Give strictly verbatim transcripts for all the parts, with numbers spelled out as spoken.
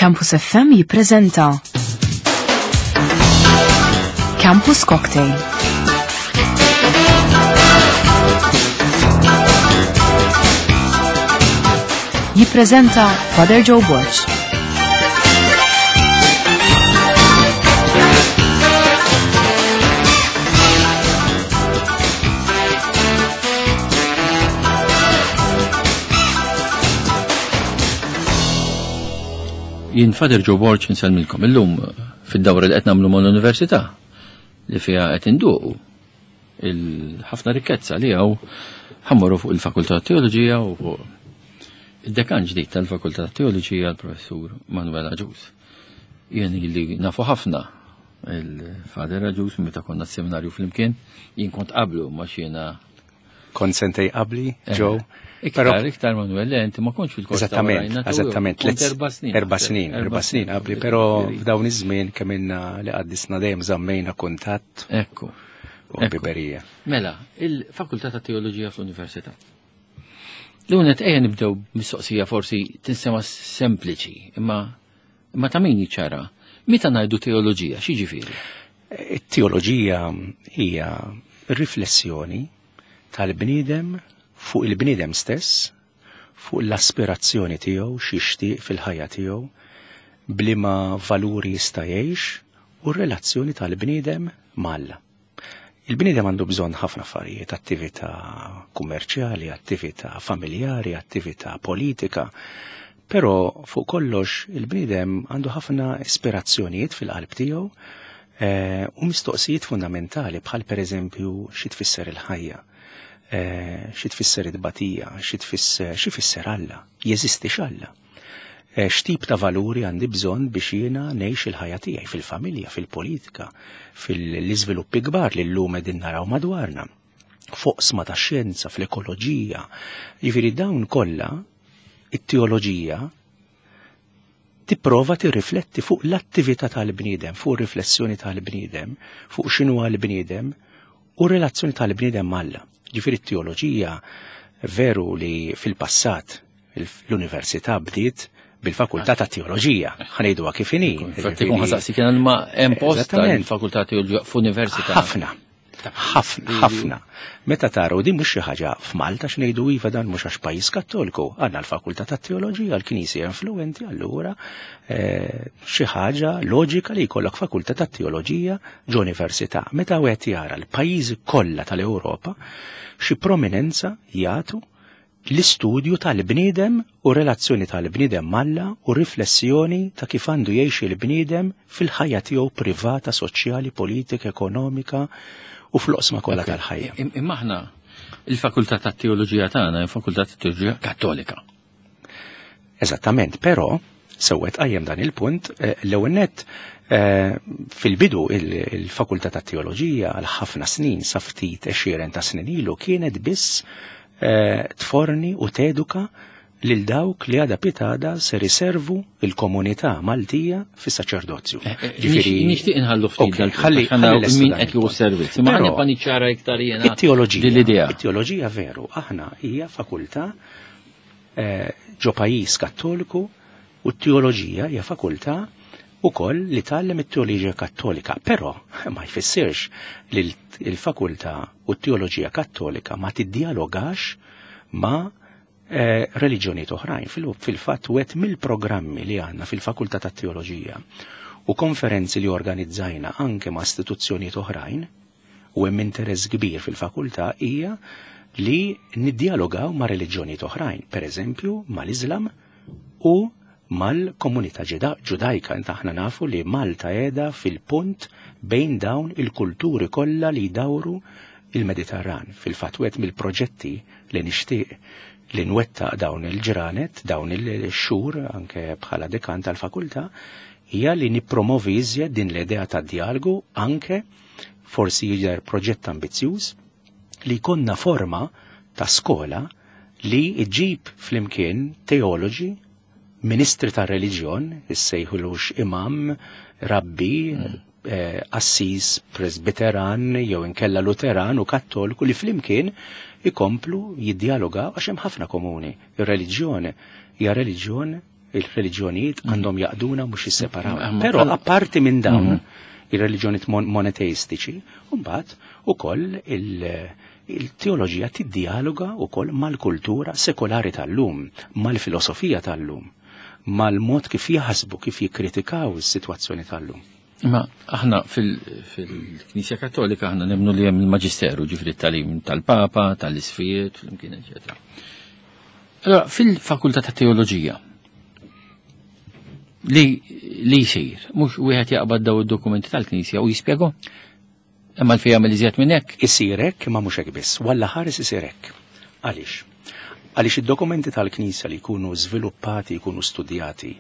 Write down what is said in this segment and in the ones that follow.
Campus F M jippreżenta Campus Cocktail. Jippreżenta Father Joe Borg. Jien Father Joe Borg insellmilkom illum fid-dawra li qed nagħmlu mal-università li fiha qed induqu il-ħafna rikkezza li hawn ħammorru fuq il-Fakultà Teoloġija u fuq id-dekan ġdid tal-Fakultà Teoloġija l-Professur Manuel Agius. Jien li nafu ħafna il-Father Agius meta konna s-seminarju flimkien, jien kont qablu ma xiena Kont sentej qabli, Joe. Iktar, iktar Manuel, le, inti ma kontx fil-kors ta' Eżattament, Rajna, tu eżattament, kont tliet erba' snin. Erba' snin, erba' snin qabli, però f'dawn iż-żmien kemm ilna li qaddisna dejjem żammejna kuntatt. Ekku. U biberija. Mela, il-Fakultà ta' Teoloġija fl-Università. L-unet ejja nibdew mistoqsija forsi tinsema sempliċi, imma, imma ta' min jiċċara. Meta ngħidu teoloġija, x'jiġifieri? It-teoloġija hija riflessjoni tal-bniedem fuq il-bniedem stess, fuq l-aspirazzjoni tiegħu, x'jixtieq fil-ħajja tiegħu, bliema valuri jista' jgħix u r-relazzjoni tal-bniedem m'Alla. Il-bniedem għandu bżonn ħafna affarijiet, attività kummerċjali, attività familjari, attività politika, però fuq kollox il-bniedem għandu ħafna ispirazzjonijiet fil-qalb tiegħu, eh, u mistoqsijiet fundamentali bħal pereżempju xi tfisser il-ħajja. Eh, xi tfisser it-tbatija, xi tfisser, xi fisser Alla, jeżisti x'Alla. Eh, x'tip ta' valuri għandi bżonn biex jiena ngħix il-ħajja tiegħi fil-familja, fil-politika, fil-iżviluppi kbar li llum qegħdin naraw madwarna, foqsma ta' xjenza, fl-ekoloġija. Jiġifieri dawn kollha it-teoloġija tipprova tirrifletti fuq l-attività tal-bniedem, fuq ir-riflessjoni tal-bniedem, fuq x'inhu għall-bniedem u r-relazzjoni tal-bniedem m'Alla. Ġifieri t-teoloġija veru li fil-passat l-università bdiet bil-fakultà ta' teoloġija, ħanejduha kif inhi. Infatti kun ħasaqsi kien ma hemm post Eżattament. tal-fakultà teoloġija f'università. Ħafna, ħafna, ħafna. Meta taraw din mhux xi ħaġa f'Malta x'ngħidu iva dan mhux għax pajjiż Kattoliku, għandna l-fakultà tat-teoloġija, l-Knisja influenti, allura, eh, xi ħaġa loġika li jkollok fakultà tat-teoloġija ġo università. Meta wieħed jara l-pajjiżi kollha tal-Ewropa xi prominenza jagħtu l-istudju tal-bniedem u relazzjoni tal-bniedem m'Alla u riflessjoni ta' kif għandu jgħix il-bniedem fil-ħajja tiegħu privata, soċjali, politika, ekonomika u fl-oqsma kollha Ok. tal-ħajja. Im-, imma aħna il-fakultà tat-teoloġija tagħna hija fakultà tat-teoloġija Kattolika. Eżattament, però sewwet qajjem dan il-punt, eh, l-ewwel nett, eh, fil-bidu il-, il-fakultà tat-teoloġija għal ħafna snin sa ftit għexieren ta' snin ilu kienet biss, eh, tforni u teduka lil dawk li għada pitada ser iservu il-komunità Maltija fis-saċerdozju. Eh, eh, Ġifieri nix-, nixtieq inħallu ftit Ok, dal-punt, ħalli, għax għandna ħalli lestu min dan qed jieħu il-punt. servizz. Imma Però ħa nibqa' niċċara iktar jiena it-teoloġija, din l-idea. it-teoloġija veru, aħna hija fakultà, eh, ġo pajjiż Kattoliku u t-teoloġija hija fakultà ukoll li tgħallem it-teoloġija Kattolika, però ma jfissirx li l-, il-fakultà u t-teoloġija Kattolika ma tiddialogax ma, eh, reliġjonijiet oħrajn. Fil-, fil-fatt wieħed mill-programmi li għandna fil-fakultà tat-teoloġija u konferenzi li organizzajna anke ma' istituzzjonijiet oħrajn u hemm interess kbir fil-fakultà hija li niddialogaw ma' reliġjonijiet oħrajn, per eżempju mal-Iżlam u mal-komunità ġuda-, ġudajka. Inta aħna nafu li Malta qiegħda fil-punt bejn dawn il-kulturi kollha li jdawru il-Mediterran. Fil-fatt wieħed mill-proġetti li nixtieq li nwettaq dawn il-ġranet, dawn il-xhur anke bħala dekan tal-fakultà, hija li nippromovi iżjed din l-idea ta' dialogu, anke forsi jidher proġett ambizzjuż li jkollna forma ta' skola li ġġib flimkien teoloġi, ministri tar reliġjon, issejħulux imam, rabbi, Mm. eh, assis, presbiteran, jew inkella luteran u kattoliku li flimkien ikomplu jiddialogaw għax hemm ħafna komuni. Ir-reliġjon hija reliġjon Il-reliġjonijiet għandhom jaqduna mhux jisseparaw. Però apparti minn dawn ir-reliġjonijiet monoteistiċi, mbagħad ukoll il-teoloġija tiddialoga wkoll mal-kultura sekolari tal-lum, mal-filosofija tal-lum, mal-mod kif jaħsbu, kif jikkritikaw is-sitwazzjoni tal-lum. Imma aħna fil-Knisja Kattolika aħna nemmnu li hemm il-Maġisteru, ġifieri t-tagħlim tal-Papa, tal-Isfijiet, flimkien, eċetera. Allora, fil-Fakultà ta' Teoloġija li li jsir, mhux wieħed jaqbad daw id-dokumenti tal-Knisja u jispjegahom? Imma l jagħmel iżjed minn hekk? Isir hekk imma mhux hekk biss, walla ħares isir hekk. Għaliex? Għaliex id-dokumenti tal-Knisja li jkunu żviluppati, jkunu studjati,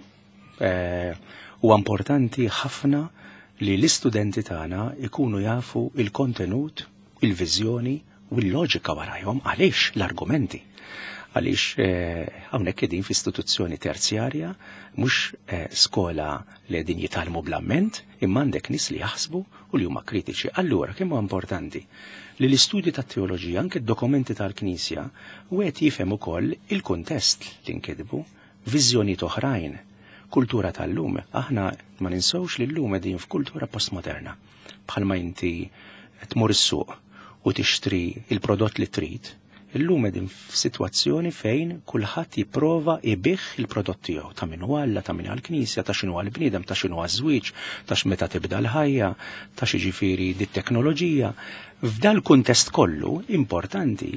huwa importanti ħafna li l-istudenti tagħna ikunu jafu il-kontenut, il-viżjoni u l-loġika warajhom, għaliex l-argumenti. Għaliex hawnhekk qegħdin f'istituzzjoni terzjarja, mhux skola li qegħdin jitgħallmu bl-amment, imma għandek nies li jaħsbu u li huma kritiċi. Allura kemm huwa importanti li l-istudji tat-teoloġija, anke d-dokumenti tal-Knisja, wieħed jifhem ukoll il-kuntest li nkitbu, viżjonijiet oħrajn, kultura tal-lum. Aħna ma ninsewx li llum qegħdin f'kultura postmoderna. Bħalma inti tmur is-suq u tixtri il-prodott li trid, illum qegħdin f'sitwazzjoni fejn kulħadd jipprova ibigħ il-prodott tiegħu, ta' min huwa Alla, ta' min għall-Knisja, ta' x'inhu għall-bniedem, ta' x'inhu għaż-żwieġ, ta' x'meta tibda l-ħajja, ta' xi ġifieri dit-teknoloġija. F'dal kuntest kollu importanti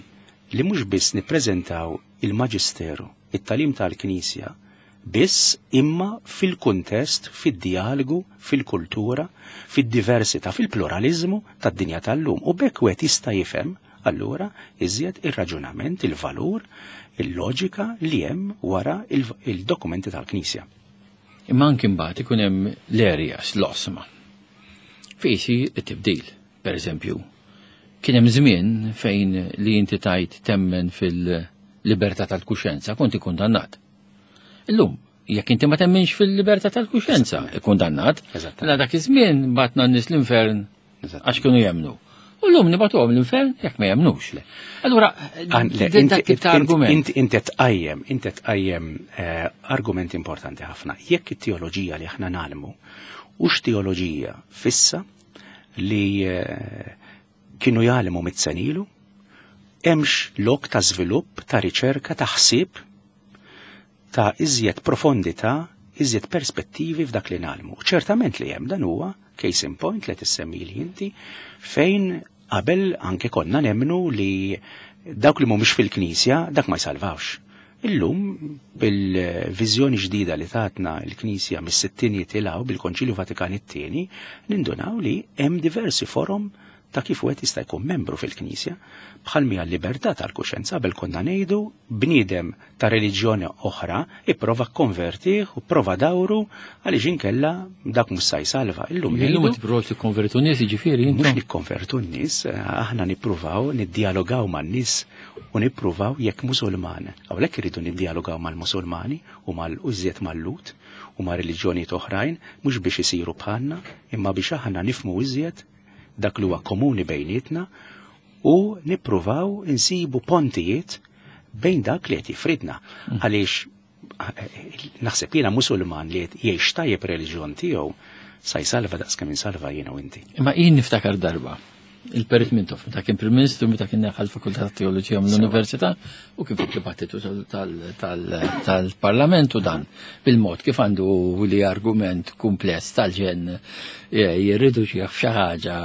li mhux biss nippreżentaw il-Maġisteru, it-tagħlim tal-Knisja, biss imma fil-kuntest, fid-dialogu, fil-kultura, fid-diversità, fil-pluralizmu tad-dinja tal-lum. U bekk wieħed jista' jifhem allura iżjed ir-raġunament, il-valur, il-loġika li hemm wara il-dokumenti tal-Knisja. Imma anki mbagħad ikun hemm l-areas, l-oqsma. Fejn isir it-tibdil, per eżempju. Kien hemm żmien fejn li inti tajt temmen fil-libertà tal-kuxjenza kont ikkundannat. Illum, jekk inti ma temminx fil-libertà tal-kuxjenza, ikkundannat. Mela dak iż-żmien batna n-nies l-infern għax kienu jemmnu. U llum nibagħtuhom l-infern jekk ma jemmnux. Allura, dak tip ta' argument. Inti tqajjem, inti tqajjem argument importanti ħafna. Jekk it-teoloġija li aħna nagħlmu hux teoloġija fissa li kienu jgħallmu mitt sena ilu, hemmx lok ta' żvilupp, ta' riċerka, ta' ħsieb, ta' iżjed profondità, iżjed perspettivi f'dak li nagħlmu. Ċertament li hemm, dan huwa case in point li tissemmi li inti, fejn qabel anke konna nemmnu li dawk li mhumiex fil-Knisja dak ma jsalvawx. Illum bil-viżjoni ġdida li tatna l-Knisja mis-sittinijiet ilaw bil-Konċilju Vatikan it-tieni, nindunaw li hemm diversi forom ta' kif wieħed jista' jkun membru fil-Knisja, bħal mija l-libertà tal-kuxjenza. Qabel konna ngħidu bniedem ta' reliġjoni oħra ipprova kkonvertih u prova dawru għaliex inkella dak mhux se jsalva. Illum Illum qed tippruvaw tikkonvertu n-nies, jiġifieri intom? Mhux nikkonvertu n-nies, aħna nippruvaw niddialogaw man-nies u nippruvaw jekk Musulman. Hawnhekk irridu niddialogaw mal-Musulmani u mal-użiet mal-Lut u ma' reliġjonijiet oħrajn, mhux biex isiru bħalna, imma biex aħna nifhmu iżjed dak li huwa komuni bejnietna u nippruvaw insibu pontijiet bejn dak li qed jifridna. Għaliex naħseb jiena Musulman li qed jgħix tajjeb reliġjon tiegħu sa jsalva daqs kemm insalva jiena u inti. Imma jien niftakar darba il-Perit Mintoff, meta kien Prim Ministru, meta kien neħħa l-Fakultà ta' Teoloġija mill-Università u kif id-dibattitu tal-Parlament u dan bil-mod kif għandu li argument kumpless tal-ġen jirriduċi f'xi ħaġa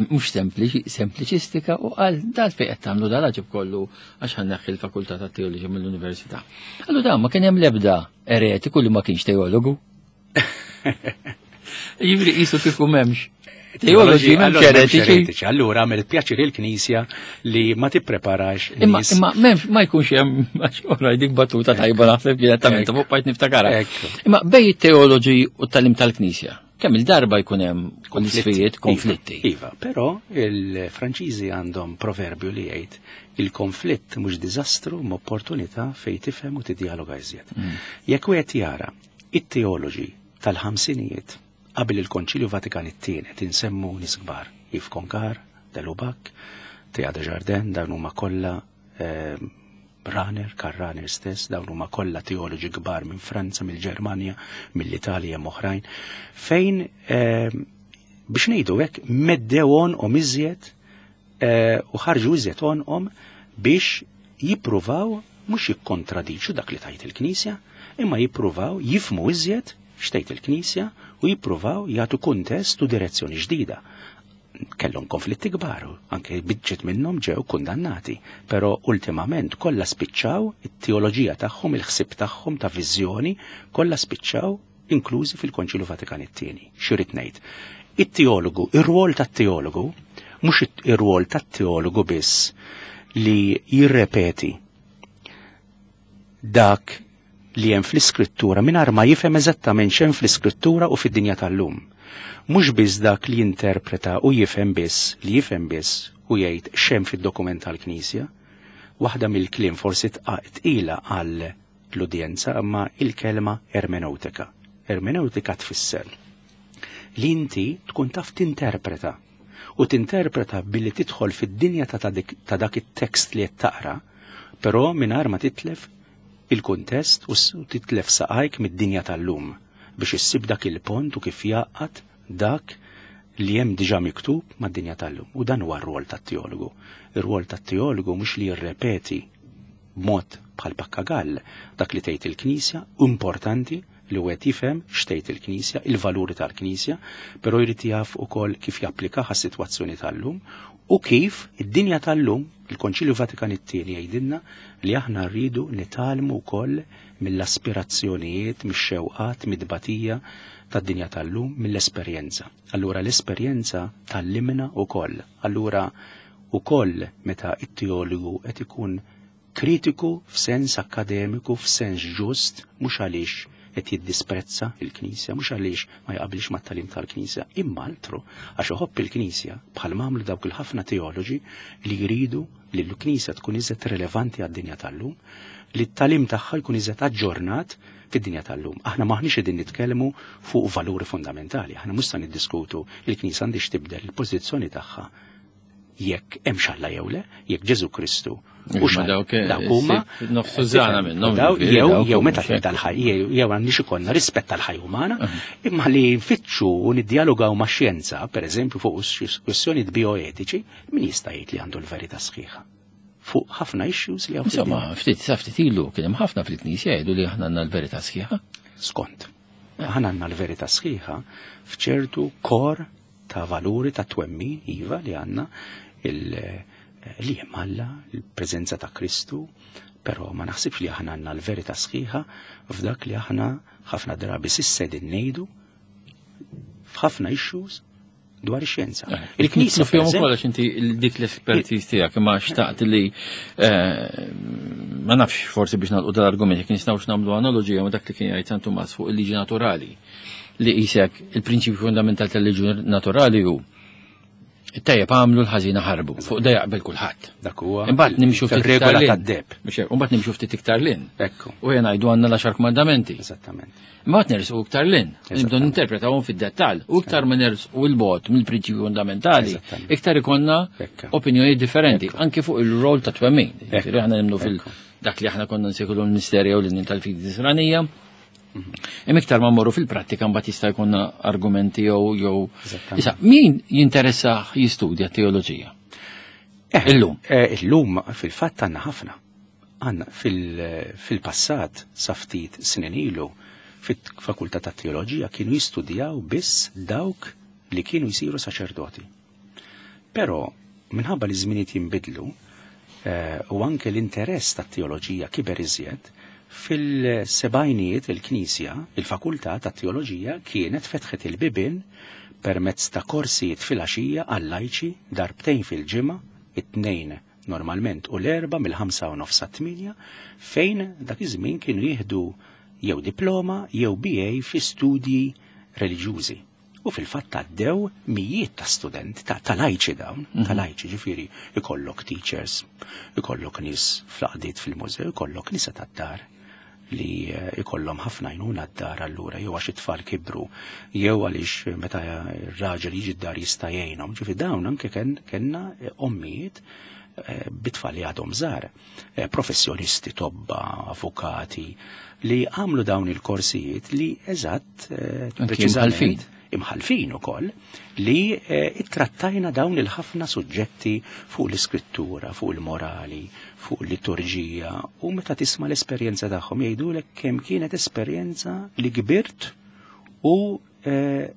mhux sempliċi, sempliċistika, u qal dal fejn qed tagħmlu dal-għaġeb kollu għax ħa nneħħi l-Fakultà ta' Teoloġija mill-Università. Allura dan ma kien hemm l-ebda eretiku li ma kienx teologu. Jiġifieri qisu kieku m'hemmx teoloġi, m'hemmx eretiċi. Allura għamel pjaċir il-Knisja li ma tippreparax Imma nies. imma m'hemmx, ma jkunx hemm, għax ora dik battuta tajba naħseb kienet ta' minn fuq bajt niftakarha. Ekku. Imma bej it-teoloġi u t-tagħlim tal-Knisja, kemm il-darba jkun hemm Konflitti. isfijiet, konflitti. Iva, però il-Franċiżi għandhom proverbju li jgħid il-konflitt mhux diżastru ma opportunità fejn tifhem u tiddialoga iżjed. Jekk wieħed jara it-teoloġi tal-ħamsinijiet qabel il-Konċilju Vatikan it-tieni, tinsemmu nies kbar, Yves Congar, de Lubac, Teilhard de Chardin, dawn huma kollha eh, Rahner, Karl Rahner stess, dawn huma kollha teoloġi kbar minn Franza, mill-Ġermanja, mill-Italja oħrajn, fejn eh, biex ngħidu hekk meddew għonqhom iżjed eh, u ħarġu iżjed għonqhom biex jippruvaw mhux jikkontradiċu dak li tgħid il-Knisja, imma jippruvaw jifhmu iżjed x'tgħid il-Knisja u jippruvaw jagħtu kuntest u direzzjoni ġdida. Kellhom konflitti kbar, anke biċċiet minnhom ġew kundannati, però ultimament kollha spiċċaw it-teoloġija tagħhom, il-ħsieb tagħhom ta' viżjoni, kollha spiċċaw inklużi fil-Konċilju Vatikan it-tieni. X'irid ngħid? It-teologu, ir-rwol tat-teologu, mhux ir-rwol tat-teologu biss li jirrepeti dak li hemm fl-iskrittura mingħajr ma jifhem eżattament x'hemm fl-iskrittura u fid-dinja tal-lum. Mhux biss dak li jinterpreta u jifhem biss, li jifhem biss u jgħid x'hemm fid-dokument tal-Knisja, waħda mill-kliem forsi tqila għal l-udjenza imma il-kelma ermeneutika. Ermeneutika tfisser li inti tkun taf tinterpreta u tinterpreta billi tidħol fid-dinja ta' ta' dak it-tekst li qed taqra, però mingħajr ma titlef il-kuntest u titlef saqajk mid-dinja tal-lum biex issib dak il-pont u kif jaqgħad dak li hemm diġà miktub mad-dinja tal-lum. U dan huwa r-rwol tat-teologu. Ir-rwol tat-teologu mhux li jirrepeti b'mod bħal pappagall dak li tgħid il-Knisja, importanti li wieħed jifhem x'tgħid il-Knisja, il-valuri tal-Knisja, però jrid jaf ukoll kif japplikaha għas-sitwazzjoni tal-lum u kif id-dinja tal-lum, il-Konċilju Vatikan it-tieni jgħidilna li aħna rridu nitgħallmu wkoll mill-aspirazzjonijiet, mix-xewqat, mid-tbatija tad-dinja tal-lum, mill-esperjenza. Allura l-esperjenza tgħallimna wkoll. Allura ukoll meta it-teologu qed ikun kritiku f'sens akademiku, f'sens ġust, mhux għaliex qed jiddisprezza il-Knisja, mhux għaliex ma jaqbilx mat-tagħlim tal-Knisja, imma altru għax iħobb il-Knisja bħal m'għamlu dawk il-ħafna teoloġi li jridu li l-Knisja tkun iżjed relevanti għad-dinja tal-lum, li t-tagħlim tagħha jkun iżjed aġġornat fid-dinja tal-lum. Aħna maħniex qegħdin nitkellmu fuq valuri fundamentali, aħna mhux se niddiskutu il-Knisja għandix tibdel il-pożizzjoni tagħha jekk hemm Alla jew le, jekk Ġesu Kristu u dawk huma nofsu żana minnhom. Jew jew meta tibda l-ħaj, jew għandix ikollna rispett tal-ħajja umana, imma li nfittxu u niddialogaw ma' xjenza, pereżempju fuq kwestjonijiet bioetiċi, min jista' jgħid li għandu l-verità sħiħa fuq ħafna issues li hawn. Insomma, ftit sa ftit ilu kien hemm ħafna fil-Knisja jgħidu li aħna għandna l-verità sħiħa. Skont. Aħna għandna l-verità sħiħa f'ċertu kor ta' valuri ta' twemmin, iva, li għandna li hemm Alla, il-preżenza ta' Kristu, però ma naħsibx li aħna għandna l-verità sħiħa f'dak li aħna ħafna drabi s'issa qegħdin ngħidu f'ħafna issues dwar ix-xjenza. Eh, Il-Knisja fihom ukoll għax inti dik l-espertiż tiegħek imma xtaqt li eh, ma nafx forsi biex nagħlqu dal-argument jekk nistgħux nagħmlu analoġija ma' dak li kien jgħid San Tumas fuq il-liġi naturali li qisek il-prinċipju fundamentali tal-liġi naturali hu it-tajjeb għamlu l-ħażina ħarbu. Fuq da jaqbel kulħadd. Dak huwa. Imbagħad nimxu ftit regola tad-deheb. Imbagħad nimxu ftit iktar 'l hinn. Ekku. U jena ngħidu għandna l-għaxar kmandamenti. Eżattament. Imbagħad nersqu iktar 'l hinn. Nibdew ninterpretawhom fid-dettall. U iktar ma nersqu 'l bogħod mill-prinċipju fundamentali, iktar ikollna opinjoni differenti, anke fuq il-rol ta' twemmin. Aħna nemmnu fil dak li aħna konna nsejħulu l-misterja u l tal-fidi nisranija. Imma iktar ma mmorru fil-prattika mbagħad jista' jkollna argumenti jew jew. Issa, min jinteressa jistudja teoloġija? Eh, Illum. Eh, illum fil-fatt għandna ħafna. Għandna fil-passat sa ftit snin ilu fit-fakultà ta' teoloġija kienu jistudjaw biss dawk li kienu jsiru saċerdoti. Però minħabba li żminijiet jinbidlu eh, u anke l-interess tat teoloġija kiber iżjed, fil-sebgħinijiet il-Knisja, il-Fakultà ta' Teoloġija kienet fetħet il-bibin permezz ta' korsijiet fil-għaxija għal-lajċi darbtejn fil-ġimgħa, it-tnejn normalment u l-erba mill-ħamsa u nofs tminja, fejn dak iż-żmien kienu jieħdu jew diploma jew B A fi studji reliġjużi. U fil-fatt għaddew mijiet ta' studenti, ta' lajċi dawn, ta' mhm. lajċi ġifieri ikollok teachers, ikollok nies fl-għaqdiet fil-mużew, ikollok nisa tad-dar li eh, ikollhom ħafna għajnuna d-dar allura jew għax it-tfal kibru jew għaliex meta r-raġel jiġi d-dar jista' jgħinhom. Ġifi dawn anke kellna ommijiet eh, bit-tfal li għadhom żgħar, eh, professjonisti, tobba, avukati, li għamlu dawn il-korsijiet li eżatt eh, Anki preċiżament imħallfin. imħalfin ukoll li eh, ittrattajna dawn il-ħafna suġġetti fuq l-iskrittura, fuq il-morali, fuq il-liturġija u meta tisma' l-esperjenza tagħhom jgħidulek kemm kienet esperjenza li kbirt u eh,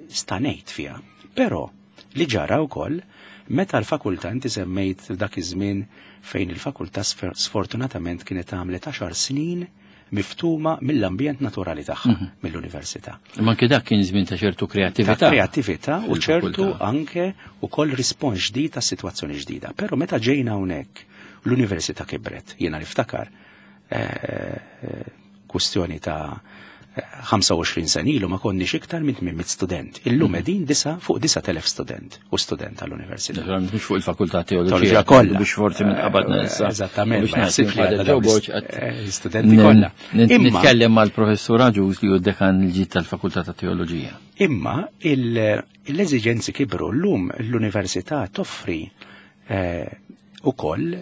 stanejt fiha. Però li ġara wkoll meta l-fakultà inti semmejt dak iż-żmien fejn il-fakultà sfer- sfortunatament kienet għamlet għaxar snin miftuma mill-ambjent naturali tagħha, mill-università. Ma anke dak kien żmien ta' ċertu Ta' kreattività. kreattività u ċertu fil-fakultà. anke ukoll rispons ġdid ta' situazzjoni ġdida. Però meta ġejna hawnhekk l-università kibret, jiena niftakar eh, eh, kwestjoni ta' eh, ħamsa u għoxrin sena ilu ma konniex iktar minn tmien mitt student. Illum qegħdin disa fuq disat elef student u student tal-università. Naturalment mhux fuq il-fakultà teoloġija Teoloġija kollha. Biex forsi minn qabadna issa. Eżattament, Biex ma jaħsibx li ngħid għadha Joe dawn Borg l- qed eh, studenti kollha. Nin- Imma- Nitkellem mal-professur Agius li hu dekan il-ġid tal-fakultà ta' teoloġija. Imma il- l-eżigenzi kibru llum l-università toffri eh, ukoll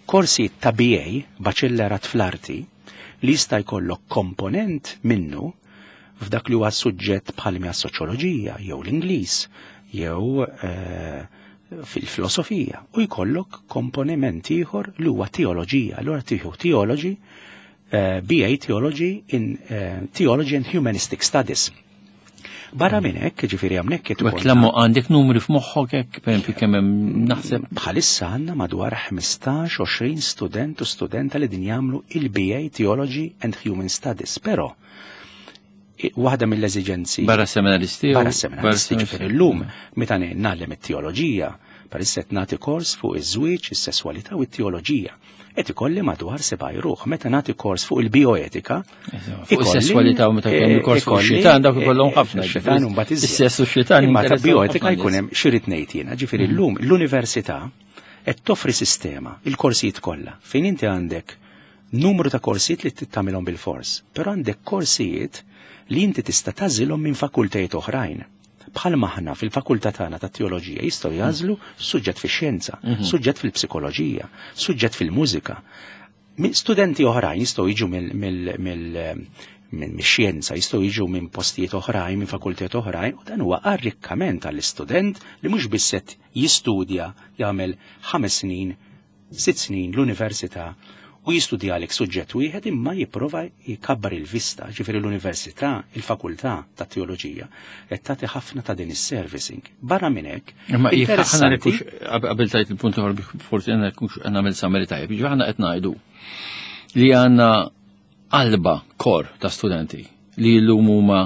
korsi ta' B A, Baċellerat fl-Arti, li jista' jkollok komponent minnu f'dak li huwa suġġett bħal mija soċjoloġija jew l-Ingliż jew eh, fil-filosofija u jkollok komponiment ieħor li huwa teoloġija. Allura tieħu theology, eh, B A Theology in eh, Theology and Humanistic Studies. Barra minn hekk, ġifieri hawnhekk qed U hekk lammu għandek numri f'moħħok hekk, pereżempju kemm hemm naħseb Bħalissa għandna madwar ħmistax għoxrin student u studenta li din jagħmlu il-B A Theology and Human Studies, però i- waħda mill-eżigenzi barra seminaristi. u- barra seminaristi, ġifieri llum meta ngħallem it-teoloġija, parissa qed nagħti kors fuq iż-żwieġ, is-sesswalità u t-teoloġija. Qed ikolli madwar seba' ruħ. Meta nagħti kors fuq il-bioetika, Fuq is-sesswalità u meta jkun il-kors fuq ix-xitan dawk ikollhom ħafna. Xitan u mbagħad iżjed. Is-sess u x-xitan Imma ta' jinteressaw bioetika ħafna jkun nies. hemm xi rid ngħid jiena, ġifieri llum l-università qed toffri sistema, il-korsijiet kollha, fejn inti għandek numru ta' korsijiet li tagħmilhom bil-fors, però għandek korsijiet li inti tista' tagħżilhom minn fakultajiet oħrajn. Bħal maħna fil-fakultà tagħna ta' teoloġija jistgħu jagħżlu suġġett fix-xjenza, suġġett fil-psikoloġija, suġġett fil-mużika. Mi- Studenti oħrajn jistgħu jiġu mill mill mill minn mix-xjenza, jistgħu jiġu minn postijiet oħrajn, minn fakultajiet oħrajn, u dan huwa arrikkament għall-istudent li mhux biss qed jistudja jagħmel ħames snin, sitt snin l-università u jistudja għalek suġġett wieħed imma jipprova jkabbar il-vista, ġifieri l-università, il-fakultà ta' teoloġija qed tagħti ħafna ta' din is-servicing. Barra minn hekk, Imma jekk aħna interessanti- nekux qabel tajt il-punt ieħor biex forsi għandna nekux nagħmel summary tajjeb, jiġifieri aħna qed ngħidu li għandna qalba kor ta' studenti li llum huma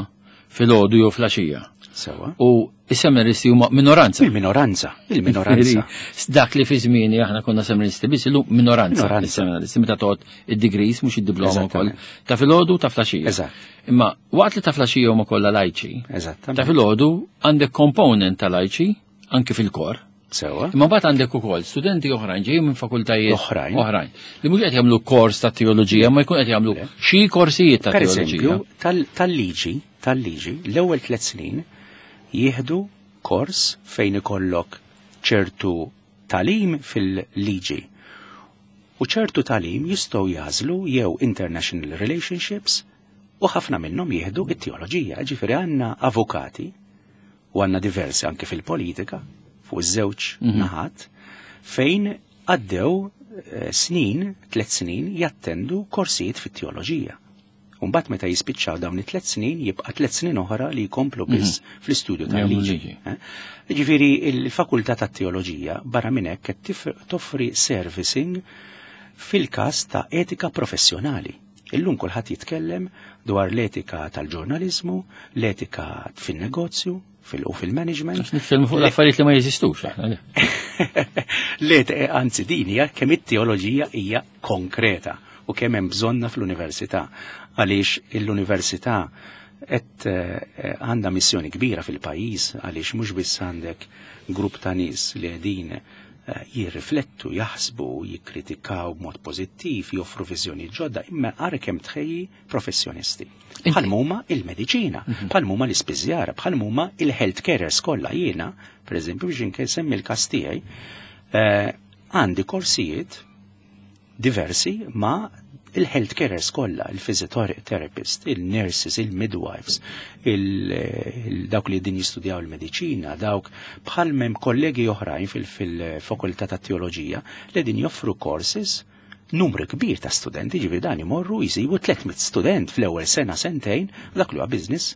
filgħodu jew flaxija. Sewa. U is-seminaristi huma minoranza. Il-minoranza, il-minoranza. Dak li fi żmieni aħna konna seminaristi biss illum minoranza. Minoranza. Is-seminaristi meta toqgħod id-degrees mhux id-diploma wkoll. Eżattament. Ta' filgħodu ta' flaxija. Eżatt. Imma waqt li ta' flaxija huma kollha lajċi, Eżattament. ta' filgħodu għandek component ta' lajċi anke fil-kor. Sewa. Imma mbagħad għandek ukoll studenti oħrajn ġejjin minn fakultajiet Oħrajn. oħrajn li mhux qed jagħmlu kors ta' teoloġija, ma jkun qed jagħmlu xi korsijiet ta' Per teoloġija. eżempju, tal- tal-liġi, tal-liġi, l-ewwel tliet snin jieħdu kors fejn ikollok ċertu talim fil-liġi. U ċertu talim jistgħu jagħżlu jew international relationships u ħafna minnhom jieħdu it-teoloġija. Ġifieri għandna avukati u għandna diversi anke fil-politika fuq iż-żewġ naħat fejn għaddew eh, snin, tliet snin jattendu korsijiet fit-teoloġija. Umbat meta jispiċċaw dawn it-tliet snin jibqa' tliet snin oħra li jkomplu biss fl-istudju Jagħmlu tal-liġi. liġi. Eh? Ġifieri il-fakultà tat-teoloġija barra minn hekk qed tif- toffri servicing fil-każ ta' etika professjonali. Illum kulħadd jitkellem dwar l-etika tal-ġurnalizmu, l-etika fin-negozju, fil- u fil-management. Għax nitkellmu fuq l-affarijiet li ma jeżistux aħna. le. Le, anzi din hija kemm it-teoloġija hija konkreta u kemm hemm bżonna fl-università. Għaliex l-università qed eh, għandha missjoni kbira fil-pajjiż għaliex mhux biss għandek grupp ta' nies li qegħdin eh, jirriflettu, jaħsbu, jikkritikaw b'mod pożittiv, joffru viżjoni ġodda, imma ara kemm tħejji professjonisti. Bħal huma il-mediċina, bħal huma l-ispiżjara, bħal huma il-health carers kollha. Jiena, per eżempju, biex insemmi l-każ tiegħi, eh, Għandi korsijiet diversi ma' il-health carers kollha, il-physiotherapist, il-nurses, il-midwives, il-dawk li din jistudjaw il-mediċina, dawk bħal mem kollegi oħrajn fil-fakultà ta' teoloġija li din joffru courses numru kbir ta' studenti, ġifieri dan imorru jisibu tliet mitt student fl-ewwel sena sentejn dak li huwa business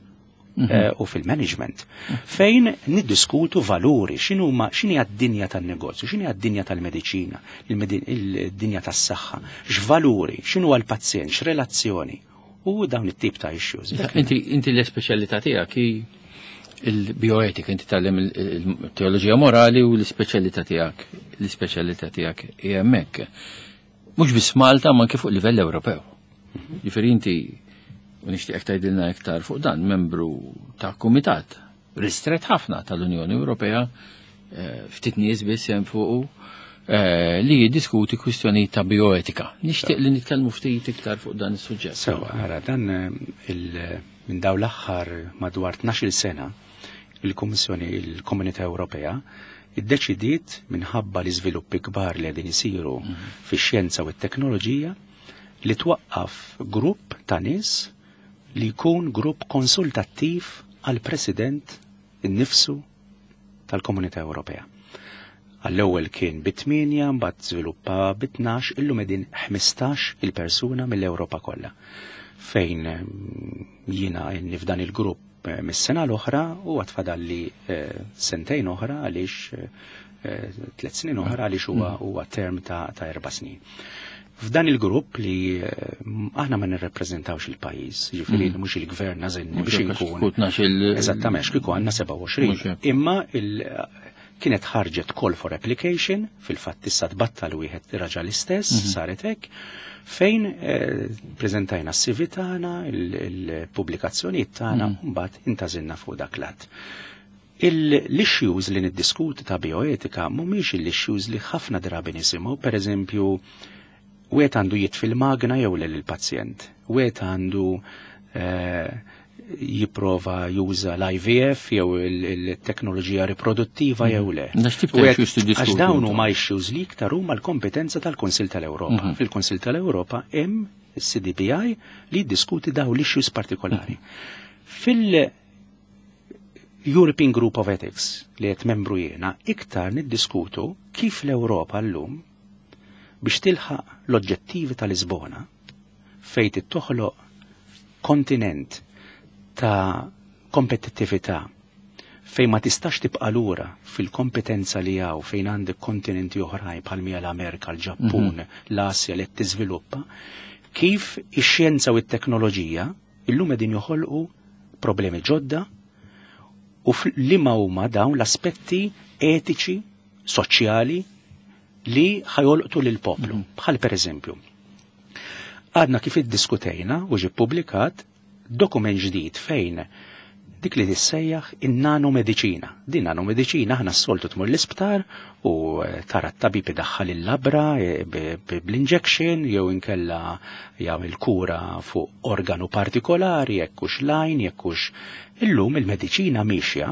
u fil-management, fejn niddiskutu valuri, x'inhuma x'inhi d-dinja tan-negozju, x'inhi d-dinja tal-mediċina, il-dinja tas-saħħa, x'valuri, x'inhu għall-pazjent, x'relazzjoni, u dawn it-tip ta' issues. Inti inti l-ispeċjalità tiegħek hi il-bioetika, inti tgħallem il-teoloġija morali u l-ispeċjalità tiegħek, l-ispeċjalità tiegħek hija hemmhekk. Mhux biss Malta, ma anke fuq livell Ewropew. Ġifieri inti, u nixtieqek tgħidilna iktar fuq dan, membru ta' kumitat ristret ħafna tal-Unjoni Ewropea, ftit nies biss hemm fuqu, li jiddiskuti kwistjonijiet ta' bioetika. Nixtieq li nitkellmu ftit iktar fuq dan is-suġġett. Sewa, ara, dan minn dawn l-aħħar madwar tnax-il sena il-Kummissjoni, il-Komunità Ewropea iddeċidiet minħabba l-iżviluppi kbar li qegħdin isiru fix-xjenza u t-teknoloġija li twaqqaf grupp ta' nies li jkun grupp konsultattiv għal president innifsu tal-Komunità Ewropea. Għall-ewwel kien bi tmienja, mbagħad żviluppa bi tnax, illum qegħdin ħmistax il-persuna mill-Ewropa kollha. Fejn jiena inni f'dan il-grupp mis-sena l-oħra u għatfadalli sentejn oħra għaliex tliet snin oħra għaliex huwa huwa term ta' erba' snin. F'dan il-grupp li aħna ma nirrepreżentawx il-pajjiż, ġifieri mhux il-gvern għażilni biex inkun. Eżattament, kieku għandna sebgħa u għoxrin. Imma kienet ħarġet call for application, fil-fatt issa tbattal wieħed raġa l-istess, saret hekk, fejn preżentajna s-C V tagħna, il-pubblikazzjonijiet tagħna, u mbagħad intażilna fuq dak l-att. L-issues li niddiskuti ta' bioetika mhumiex l-issues li ħafna drabi nisimgħu, pereżempju, wieħed għandu jitfi l-magna jew lil il-pazjent, wieħed għandu jipprova juża l-I V F jew il-teknoloġija riproduttiva jew le. Għax dawn huma issues li iktar huma l-kompetenza tal-Kunsill tal-Ewropa. Fil-Kunsill tal-Ewropa hemm is-C D B I li jiddiskuti dawn l-issues partikolari. Fil-European Group of Ethics li qed membru jiena iktar niddiskutu kif l-Ewropa llum biex tilħaq l-oġġettivi tal-Lisbona fejn toħloq kontinent ta' kompetittività fejn ma tistax tibqa' lura fil-kompetenza li hawn fejn għandek kontinenti oħrajn bħal mija l-Amerika, l-Ġappun, l-Asja li qed tiżviluppa, kif ix-xjenza u t-teknoloġija illum qegħdin joħolqu problemi ġodda u liema huma dawn l-aspetti etiċi, soċjali li ħajolqtu lill-poplu. Bħal pereżempju, għadna kif iddiskutejna u ġie ppubblikat dokument ġdid fejn dik li tissejjaħ in-nanomediċina. Din nanomediċina aħna s-soltu tmur l-isptar u tara t-tabib idaħħal il-labra bl-injection jew inkella jagħmel kura fuq organu partikolari, jekk hux lajn, jekk hux. Illum il-mediċina miexja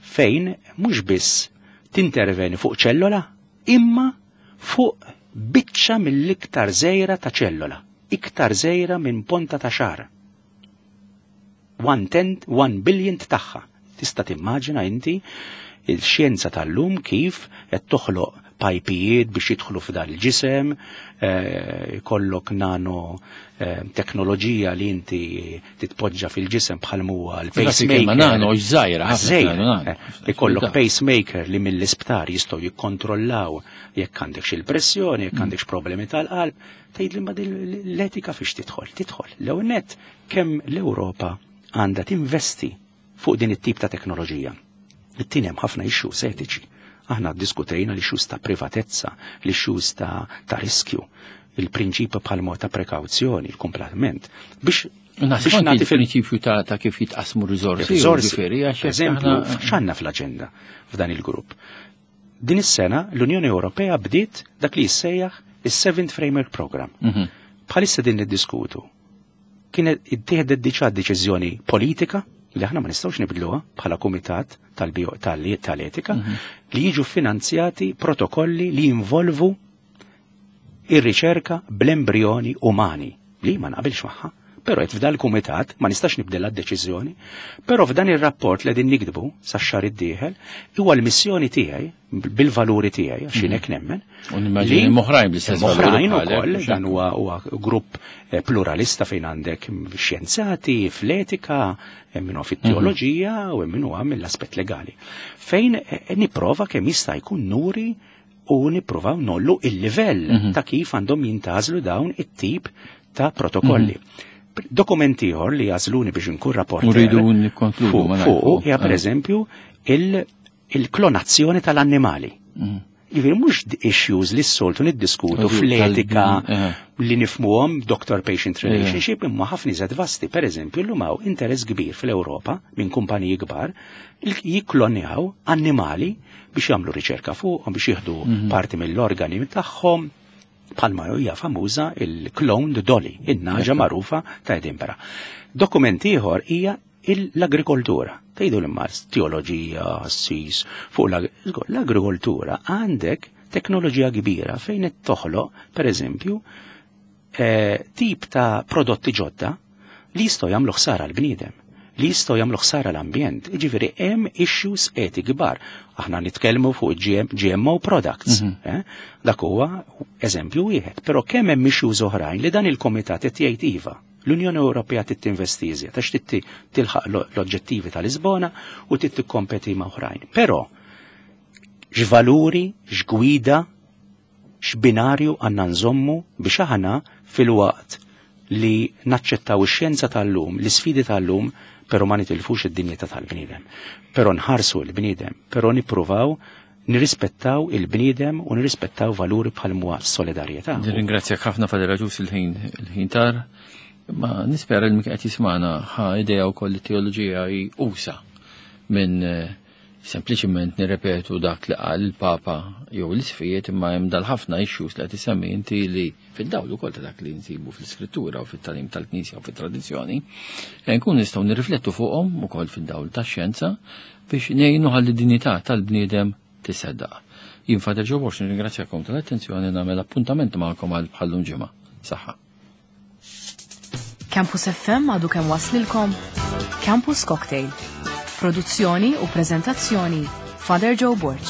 fejn mhux biss tinterveni fuq ċellola, imma fuq biċċa mill-iktar żgħira ta' ċellola, iktar żgħira minn ponta ta' xagħar. One tenth, one billionth tagħha. Tista' timmaġina inti il-xjenza tal-lum kif qed toħloq pajpijiet biex jidħlu f'dan il-ġisem, ikollok nano teknoloġija li inti titpoġġa fil-ġisem bħal huwa l-pacemaker. Ma nano żgħira, ħafna nano, nano. Ikollok pacemaker li mill-isptar jistgħu jikkontrollaw jekk għandek xi pressjoni, jekk għandek problemi tal-qalb, tgħid li ma din l-etika fiex tidħol, tidħol. L-ewwel nett kemm l-Ewropa għandha tinvesti fuq din it-tip ta' teknoloġija. It-tieni hemm ħafna issues etiċi. Aħna ddiskutejna l-issues ta' privatezza, l-issues ta', ta' riskju, il-prinċipju bħal mod ta' prekawzjoni, il-komplement. Biex Naħseb biex anki nagħti fil- il-prinċipju ta', ta' kif jitqasmu r-riżorsi, Riżorsi. ġifieri, għax jekk Eżempju, aħna x'għandna fl-aġenda f'dan il-grupp. Din is-sena l-Unjoni Ewropea bdiet dak li jissejjaħ is-Seventh Framework Program. Mhm. Bħalissa din niddiskutu. Kienet ittieħdet diġà deċiżjoni politika li aħna ma nistgħux nibdluha bħala kumitat tal-bio-, tal-, tal-etika Mhm. li jiġu finanzjati protokolli li jinvolvu ir-riċerka bl-embrjoni umani li ma naqbilx magħha. Però qed f'dal kumitat ma nistax nibdilha d-deċiżjoni, però f'dan ir-rapport li qegħdin nikdbu sax-xahar id-dieħel huwa l-missjoni tiegħi bil-valuri tiegħi għax jien hekk nemmen. U nimmaġini li- oħrajn bl-istess valuri Oħrajn bħalek, ukoll, mhux dan huwa huwa grupp eh, pluralista fejn għandek xjenzati, fl-etika, hemm min huwa fit-teoloġija u hemm min huwa mill-aspett legali. Fejn eh, nipprova kemm jista' jkun nuri u nippruvaw ngħollu il-livell ta' kif għandhom jintgħażlu dawn it-tip ta' protokolli. Dokument ieħor li għażluni biex nkun rapporter. U rridu nikkonkludu, fuq ma fuq nagħrfu. hija Ah. pereżempju il- il-klonazzjoni tal-annimali. Jiġifieri mhux issues li s-soltu niddiskutu Odju, fl-etika tal- eh. li nifhmuhom doctor-patient relationship imma ħafna iżgħar vasti. Per eżempju, llum hawn interess kbir fl-Ewropa minn kumpaniji kbar li jikklonjaw annimali biex jagħmlu riċerka fuqhom, biex jieħdu parti mill-organi tagħhom, bħalma hija famuża il-cloned Dolly, in-nagħġa magħrufa ta' Edinburgh. Dokument ieħor hija l-agrikoltura. Tgħidu l-imma teoloġija, sis, fuq l- l-agrikoltura għandek teknoloġija kbira fejn qed toħloq, per eżempju, eh, tip ta' prodotti ġodda li jistgħu jagħmlu ħsara l-bniedem, li jistgħu jagħmlu ħsara l-ambjent. Jiġifieri hemm issues eti kbar. Aħna nitkellmu fuq GM, G M O products. eh? Dak huwa eżempju wieħed. Però kemm hemm issues oħrajn li dan il-komitat qed jgħid iva. L-Unjoni Ewropea trid tinvesti iżjed għax trid tilħaq l- l-oġġettivi ta' Lisbona u trid tikkompeti ma' oħrajn. Però x'valuri, x'gwida, x'binarju għandna nżommu biex aħna fil-waqt li naċċettaw ix-xjenza tal-lum, l-isfidi tal-lum, però ma nitilfux id-dinjità tal-bniedem. Però nħarsu l-bniedem, però nippruvaw nirrispettaw il-bniedem u nirrispettaw valuri bħal huwa solidarjetà. Nirringrazzjak ħafna, Father Agius, il-ħin il-ħin tar. Ma nispera li min qed jismagħna ħa idea wkoll li teoloġija hi usa' minn eh, sempliċiment nirrepetu dak li qal il-Papa jew l-isfijiet, imma hemm dal-ħafna issues li qed isemmi inti li fid-dawl ukoll ta' dak li nsibu fl-Iskrittura u fit-tagħlim tal-Knisja u fit-tradizzjoni, eh, nkun nistgħu nirriflettu fuqhom ukoll fid-dawl tax-xjenza biex ngħinu ħalli dinjità tal-bniedem tisseddaq. Jien Father Joe Borg nirringrazzjakom tal-attenzjoni, nagħmel appuntament magħkom għal bħallum ġimgħa. Saħħa. Campus F M għadu kemm waslilkom Campus Cocktail. Produzzjoni u prezentazzjoni, Father Joe Borg.